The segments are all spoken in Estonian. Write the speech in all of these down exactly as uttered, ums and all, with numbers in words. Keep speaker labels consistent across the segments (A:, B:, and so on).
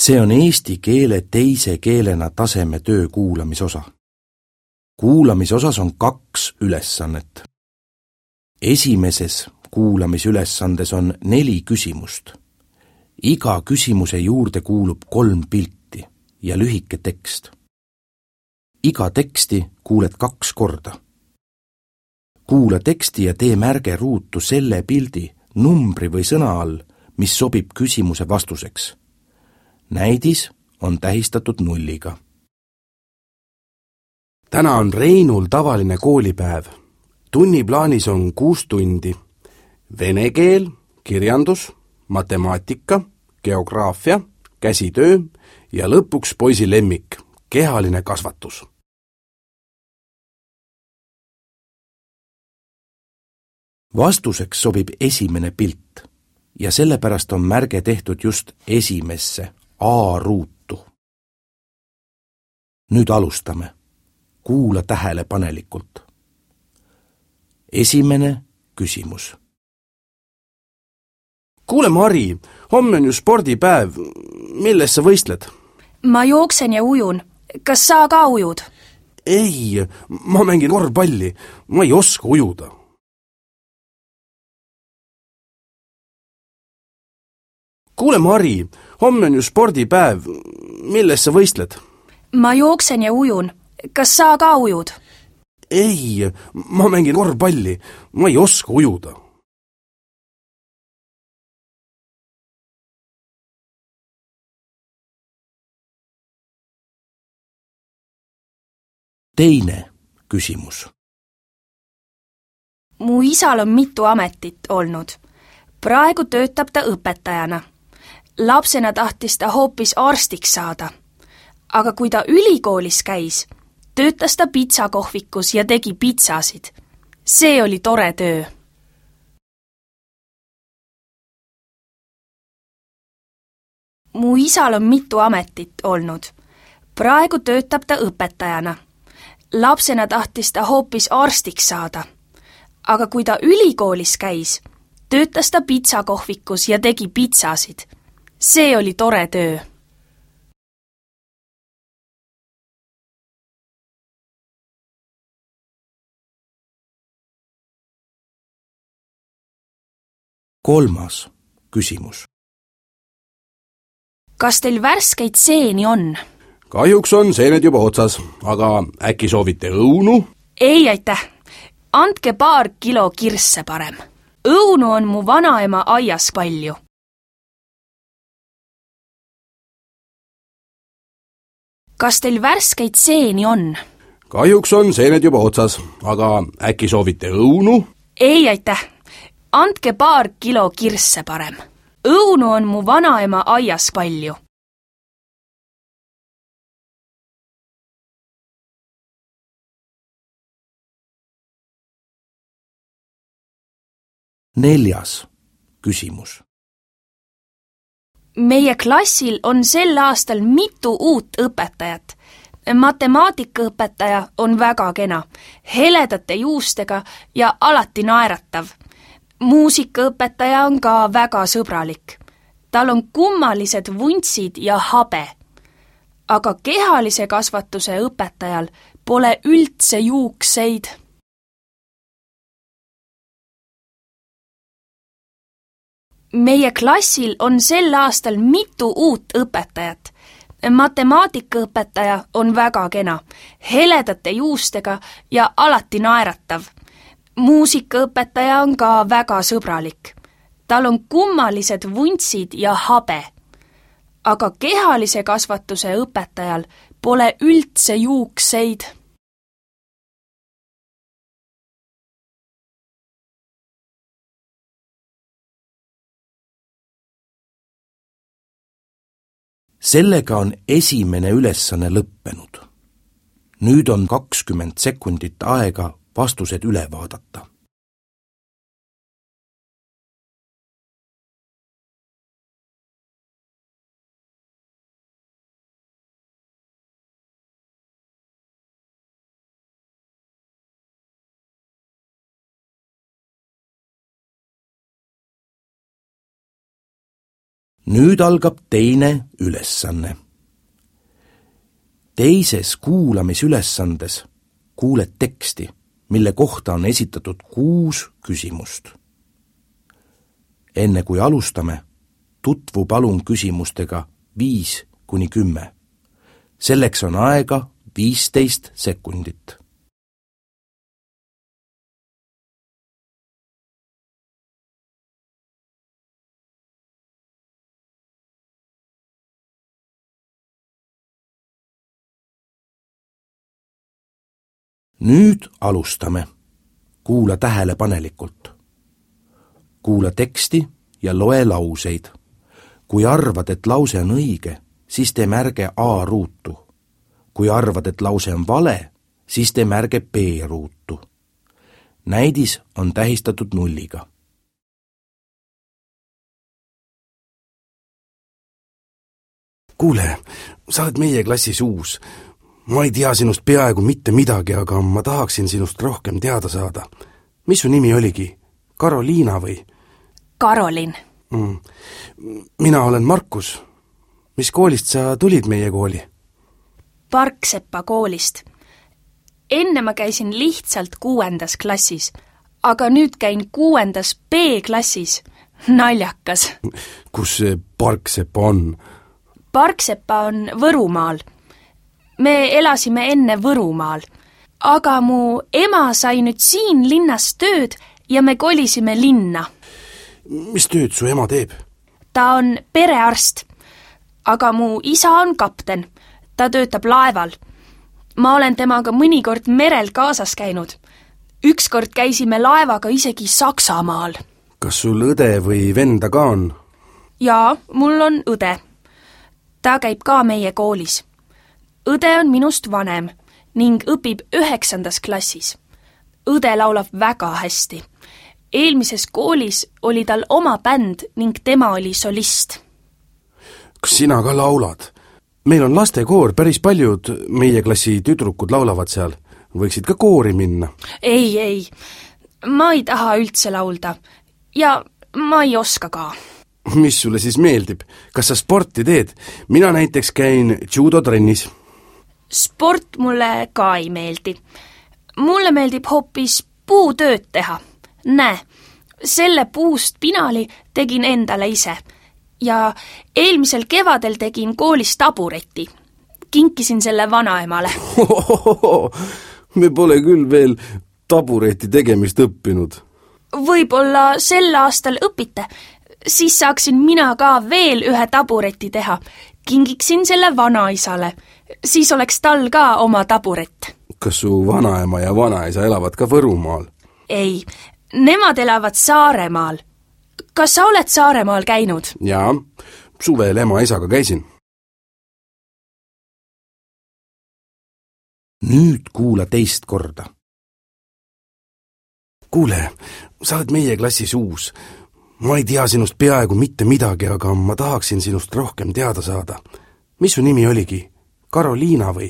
A: See on eesti keele teise keelena taseme töö kuulamisosa. Kuulamisosas on kaks ülesannet. Esimeses kuulamisülesandes on neli küsimust. Iga küsimuse juurde kuulub kolm pilti ja lühike tekst. Iga teksti kuuled kaks korda. Kuula teksti ja tee märge ruutu selle pildi, numbri või sõna all, mis sobib küsimuse vastuseks. Näidis on tähistatud nulliga.
B: Täna on Reinul tavaline koolipäev. Tunniplaanis on kuus tundi. Vene keel, kirjandus, matemaatika, geograafia, käsitöö ja lõpuks poisi lemmik, kehaline kasvatus.
A: Vastuseks sobib esimene pilt ja sellepärast on märge tehtud just esimesse A-ruutu. Nüüd alustame. Kuula tähelepanelikult. Esimene küsimus.
B: Kuule, Mari, homme on ju spordipäev. Milles sa võistled?
C: Ma jooksen ja ujun. Kas sa ka ujud?
B: Ei, ma mängin korvpalli. Ma ei oska ujuda. Kuule, Mari, homme on ju spordipäev. Milles sa võistled?
C: Ma jooksen ja ujun. Kas sa ka ujud?
B: Ei, ma mängin korvpalli. Ma ei oska ujuda.
A: Teine küsimus.
C: Mu isal on mitu ametit olnud. Praegu töötab ta õpetajana. Lapsena tahtis ta hoopis arstiks saada. Aga kui ta ülikoolis käis, töötas ta pitsakohvikus ja tegi pitsasid. See oli tore töö. Mu isal on mitu ametit olnud. Praegu töötab ta õpetajana. Lapsena tahtis ta hoopis arstiks saada. Aga kui ta ülikoolis käis, töötas ta pitsakohvikus ja tegi pitsasid. See oli tore töö.
A: Kolmas küsimus.
C: Kas teil värskeid seeni on?
B: Kahjuks on seened juba otsas, aga äkki soovite õunu?
C: Ei, aitäh. Andke paar kilo kirsse parem. Õunu on mu vanaema aias palju. Kas teil värskeid seeni on?
B: Kahjuks on seened juba otsas, aga äkki soovite õunu?
C: Ei, aitäh. Andke paar kilo kirsse parem. Õunu on mu vanaema aias palju.
A: Neljas küsimus.
C: Meie klassil on sel aastal mitu uut õpetajat. Matemaatikaõpetaja on väga kena, heledate juustega ja alati naeratav. Muusikaõpetaja on ka väga sõbralik. Tal on kummalised vuntsid ja habe. Aga kehalise kasvatuse õpetajal pole üldse juukseid. Meie klassil on sel aastal mitu uut õpetajat. Matemaatikaõpetaja on väga kena, heledate juustega ja alati naeratav. Muusikaõpetaja on ka väga sõbralik. Tal on kummalised vuntsid ja habe. Aga kehalise kasvatuse õpetajal pole üldse juukseid.
A: Sellega on esimene ülesanne lõppenud. Nüüd on kakskümmend sekundit aega vastused üle vaadata. Nüüd algab teine ülesanne. Teises kuulamisülesandes kuuled teksti, mille kohta on esitatud kuus küsimust. Enne kui alustame, tutvu palun küsimustega viis kuni kümme. Selleks on aega viisteist sekundit. Nüüd alustame. Kuula tähelepanelikult. Kuula teksti ja loe lauseid. Kui arvad, et lause on õige, siis tee märge A ruutu. Kui arvad, et lause on vale, siis tee märge B ruutu. Näidis on tähistatud nulliga.
B: Kuule, sa oled meie klassis uus. Ma ei tea sinust peaaegu mitte midagi, aga ma tahaksin sinust rohkem teada saada. Mis su nimi oligi? Karoliina või?
C: Karolin.
B: Mm. Mina olen Markus. Mis koolist sa tulid meie kooli?
C: Parksepa koolist. Enne ma käisin lihtsalt kuuendas klassis, aga nüüd käin kuuendas B-klassis. Naljakas.
B: Kus see Parksepa on?
C: Parksepa on Võrumaal. Me elasime enne Võrumaal, aga mu ema sai nüüd siin linnas tööd ja me kolisime linna.
B: Mis tööd su ema teeb?
C: Ta on perearst, aga mu isa on kapten. Ta töötab laeval. Ma olen temaga mõnikord merel kaasas käinud. Ükskord käisime laevaga isegi Saksamaal.
B: Kas sul õde või venda ka on?
C: Jaa, mul on õde. Ta käib ka meie koolis. Õde on minust vanem ning õpib üheksandas klassis. Õde laulab väga hästi. Eelmises koolis oli tal oma bänd ning tema oli solist.
B: Kas sina ka laulad? Meil on lastekoor, päris paljud meie klassi tüdrukud laulavad seal. Võiksid ka koori minna.
C: Ei, ei. Ma ei taha üldse laulda. Ja ma ei oska ka.
B: Mis sulle siis meeldib? Kas sa sporti teed? Mina näiteks käin judotrennis.
C: Sport mulle ka ei meeldi. Mulle meeldib hoopis puutööd teha. Näe, selle puust pinali tegin endale ise. Ja eelmisel kevadel tegin koolis tabureti. Kinkisin selle vanaemale.
B: Me pole küll veel tabureti tegemist õppinud.
C: Võib-olla sel aastal õpite. Siis saaksin mina ka veel ühe tabureti teha. Kingiksin selle vanaisale. Siis oleks tal ka oma taburet.
B: Kas su vanaema ja vanaisa elavad ka Võrumaal?
C: Ei, nemad elavad Saaremaal. Kas sa oled Saaremaal käinud?
B: Jaa, suvel ema isaga käisin.
A: Nüüd kuula teist korda.
B: Kuule, sa oled meie klassis uus. Ma ei tea sinust peaaegu mitte midagi, aga ma tahaksin sinust rohkem teada saada. Mis su nimi oligi? Karoliina või?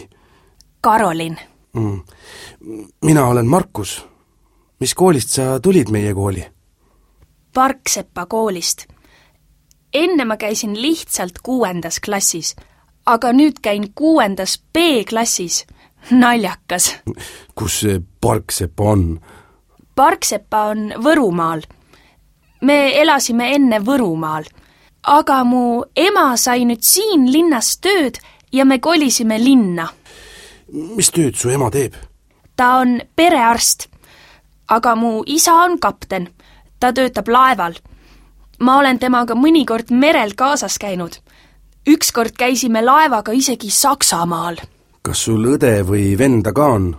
C: Karolin.
B: Mm. Mina olen Markus. Mis koolist sa tulid meie kooli?
C: Parksepa koolist. Enne ma käisin lihtsalt kuuendas klassis, aga nüüd käin kuuendas B-klassis. Naljakas.
B: Kus see Parksepa on?
C: Parksepa on Võrumaal. Me elasime enne Võrumaal, aga mu ema sai nüüd siin linnas tööd ja me kolisime linna.
B: Mis tööd su ema teeb?
C: Ta on perearst, aga mu isa on kapten. Ta töötab laeval. Ma olen temaga mõnikord merel kaasas käinud. Ükskord käisime laevaga isegi Saksamaal.
B: Kas sul õde või venda ka on?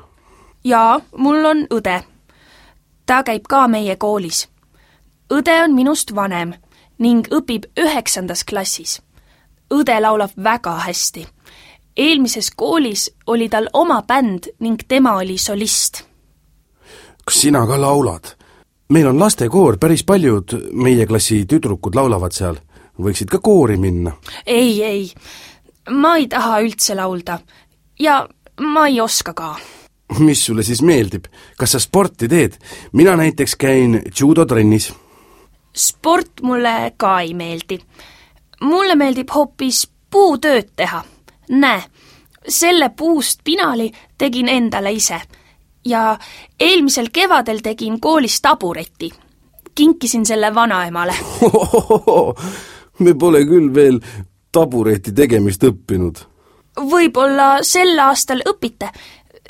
C: Jaa, mul on õde. Ta käib ka meie koolis. Õde on minust vanem ning õpib üheksandas klassis. Õde laulab väga hästi. Eelmises koolis oli tal oma bänd ning tema oli solist.
B: Kas sina ka laulad? Meil on lastekoor, päris paljud meie klassi tüdrukud laulavad seal. Võiksid ka koori minna.
C: Ei, ei. Ma ei taha üldse laulda. Ja ma ei oska ka.
B: Mis sulle siis meeldib? Kas sa sporti teed? Mina näiteks käin judotrennis.
C: Sport mulle ka ei meeldi. mulle meeldib hoopis puutööd teha. Näe, selle puust pinali tegin endale ise ja eelmisel kevadel tegin koolis tabureti. Kinkisin selle vanaemale.
B: Me pole küll veel tabureti tegemist õppinud.
C: Võib-olla sel aastal õpite,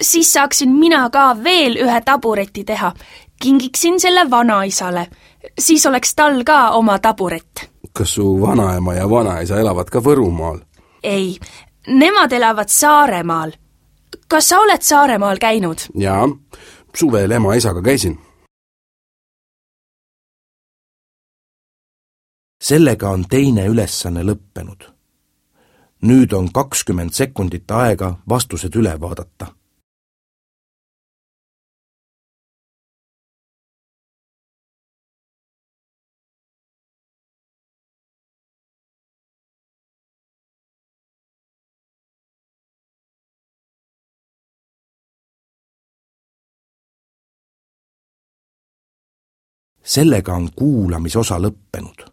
C: siis saaksin mina ka veel ühe tabureti teha. Kingiksin selle vanaisale, siis oleks tal ka oma taburet.
B: Kas su vanaema ja vanaisa elavad ka Võrumaal?
C: Ei, nemad elavad Saaremaal. Kas sa oled Saaremaal käinud?
B: Jaa, suvel ema isaga käisin.
A: Sellega on teine ülesanne lõppenud. Nüüd on kakskümmend sekundit aega vastused üle vaadata. Sellega on kuulamisosa lõppenud.